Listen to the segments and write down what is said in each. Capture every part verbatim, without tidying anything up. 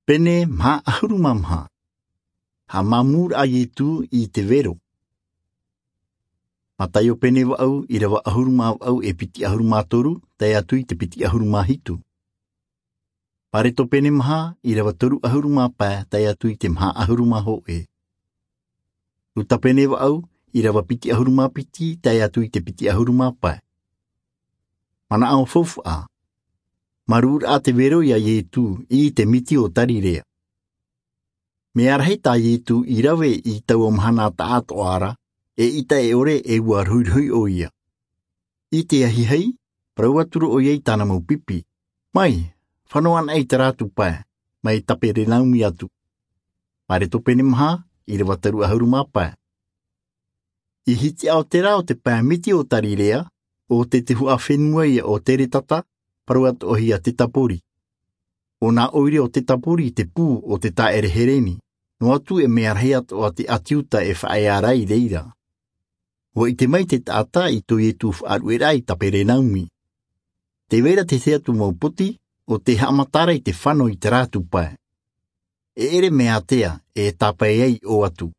Pene maha ʻahuru mā maha. Haʻamāmū rā ʻo Ietu i te vero. Mataio pene vaʻu, ʻīrava ʻahuru mā vaʻu e piti ʻahuru mā toru, tae atu i te piti ʻahuru mā hitu. Mareko pene maha, ʻīrava toru ʻahuru mā pae, tae atu i te maha ʻahuru mā hōʻē. Luka pene vaʻu, ʻīrava piti ʻahuru mā piti, tae atu i te piti ʻahuru mā pae. Manaʻo faufaʻa. Māmū rā te vero ia Ietu i te miti o Tarirea. Mea rahi tā Ietu i rave i taua mahana taʻatoʻa ra, eʻita e ʻore e ʻua rohirohi ʻoia. I te ahiahi, parau atu ra ʻoia i tāna mau pipi. Mai, fano anaʻe i tā rātou pae, mai Kaperenaumi atu. Mareko pene maha, ʻīrava toru ʻahuru mā pae. I hitiʻa o te rā o te pae miti o Tarirea, ʻo te tuhaʻa fenua ia ʻo Keretata, parau atoʻa ia Dekapoli. ʻO nā ʻoire o Dekapoli te pū o te taʻere Hereni, noa atu e mea rahi atoʻa te ʻāti Iuta e faʻaea ra i reira. ʻUa ʻite mai te taʻata i tō Ietu faʻarueraʻa i Kaperenaumi. Tē vai ra te tahi atu mau poti, ʻo tē haʻamata ra i te fano i tā rātou pae. E ʻere mea ātea, e tāpae ai ʻō atu.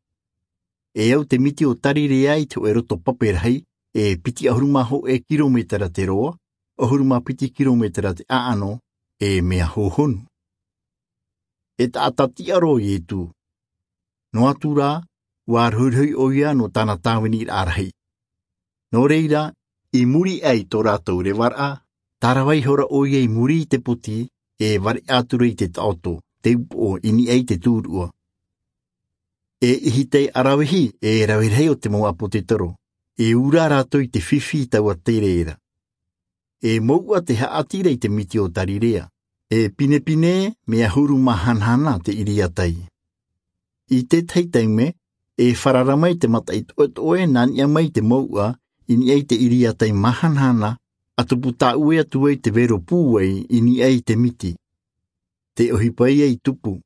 E au te miti o Tarirea i te hōʻē roto pape rahi, e piti ʻahuru mā hōʻē kirometera te roa, ʻahuru mā piti kirometera te ʻaʻano, e mea hōhonu. E taʻata tiʻa roa ʻo Ietu. Noa atu rā, ʻua rohirohi ʻoia nō tāna tāviniraʻa rahi. Nō reira, i muri aʻe i tō rātou revaraʻa, tārava ihora ʻoia i muri i te poti, e vareʻa atu ra i te taʻoto, te upoʻo i niʻa i te turuʻa. E ʻihitai ʻaravihi, e rave rahi o te mau ʻāpōsetolo, e ū rā rātou i te fifi i taua tere ra. E mouʻa te haʻati ra i te miti o Tarirea. E pinepine, mea huru mahanahana te ʻiriatai. I te tahi taime, e farara mai te mataʻi toʻetoʻe nā niʻa mai i te mouʻa, i niʻa i te ʻiriatai mahanahana, ʻa tupu tāʻue atu ai te vero pūai i niʻa i te miti. Te ʻohipa ia i tupu.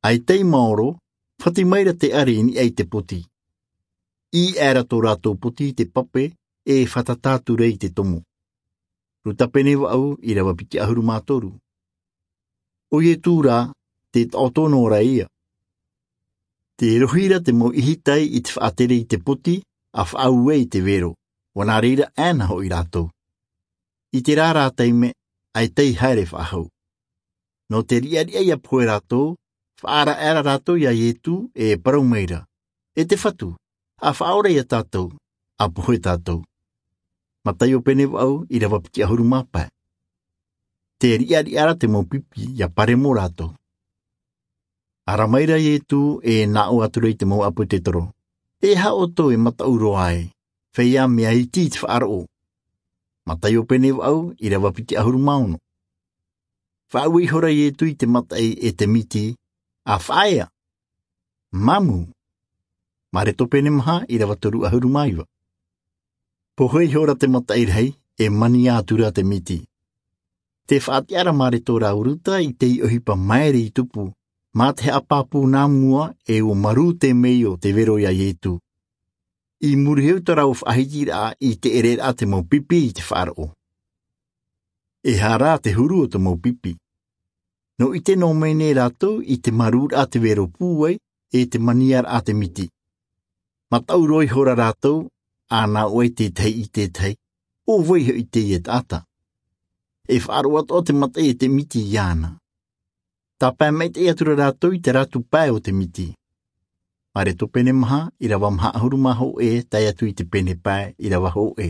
ʻAita i maoro, fati mai ra te ʻare i niʻa i te poti. ʻĪ aʻera tō rātou poti i te pape, e fātata atu ra i te tomo. Luka pene vaʻu, ʻīrava piti ʻahuru mā toru. ʻO Ietu rā, te taʻoto noa ra ia. Tē rohi ra te mau ʻihitai i te faʻatere i te poti, ʻa faʻaue i te vero, ʻua nā reira ʻāna hoʻi rātou. I terā rā taime, ʻaita i haere faʻahou. Nō te riʻariʻa ʻia pohe rātou, faʻaara aʻera rātou ia Ietu, e parau mai ra. E te Fatu, ʻa faʻaora ia tātou, ʻa pohe tātou. Mataio pene vaʻu, ʻīrava piti ʻahuru mā pae. Tē riʻariʻa ra te mau pipi ʻia paremo rātou. Ara mai ra Ietu, e nā ʻō atu ra i te mau ʻāpōsetolo. E aha ʻoutou e mataʻu roa ai, feiā mea iti i te faʻaroʻo. Mataio pene vaʻu, ʻīrava piti ʻahuru mā ono. Faʻaue ihora Ietu i te mataʻi e te miti, ʻa faʻaea. Māmū. Mareko pene maha, ʻīrava toru ʻahuru mā iva. Pohe ihora te mataʻi rahi, e mania atu ra te miti. Tē faʻatiʻa ra Mareko rāua Luka i te ʻohipa maere i tupu, mā te haʻapāpū nā mua, e ʻua marū te meio te vero ia Ietu. I muri iho i tō rāua faʻahitiraʻa i te ʻereraʻa te mau pipi i te faʻaroʻo. E aha rā te huru o te mau pipi. Nō ʻite noa mai nei rātou i te marūraʻa te vero pūai, e te maniaraʻa te miti. Mataʻu roa ihora rātou, ʻa nā ʻō ai te tahi i te tahi, ʻo vai hoʻi teie taʻata. E faʻaroʻo atoʻa te mataʻi e te miti iāna. Tāpae maitaʻi atu ra rātou i te rātou pae o te miti. Mareko pene maha, ʻīrava maha ʻahuru mā hōʻē, tae atu i te pene pae, ʻīrava hōʻē.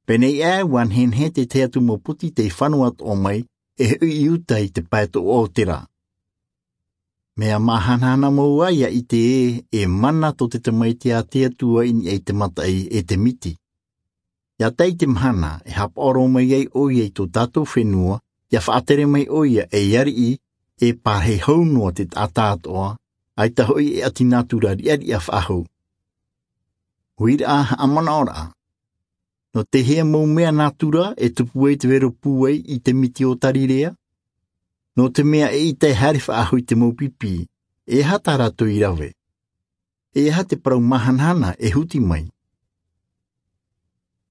Pēnei aʻe, ʻua nehenehe te tahi atu mau poti tei fano atoʻa mai, e hoʻi i uta i te pae toʻoʻa o te rā. Mea mahanahana mau ā ʻia ʻite ē, e mana tō te Tamaiti a te Atua i niʻa i te mataʻi e te miti. ʻIa tae i te mahana, e haʻapaʻo roa mai ai ʻoia i tō tātou fenua, ʻia faʻatere mai ʻoia ei ariʻi, e pārahi hou noa te taʻata atoʻa, ʻaita hoʻi e ʻati nātura riʻariʻa faʻahou. Huiraʻa haʻamanaʻoraʻa. Nō te hea mau mea nātura e tupu ai te vero pūai i te miti o Tarirea? Nō te mea eʻita e haere faʻahou i te mau pipi, e aha tā rātou i rave? E aha te parau mahanahana e huti mai?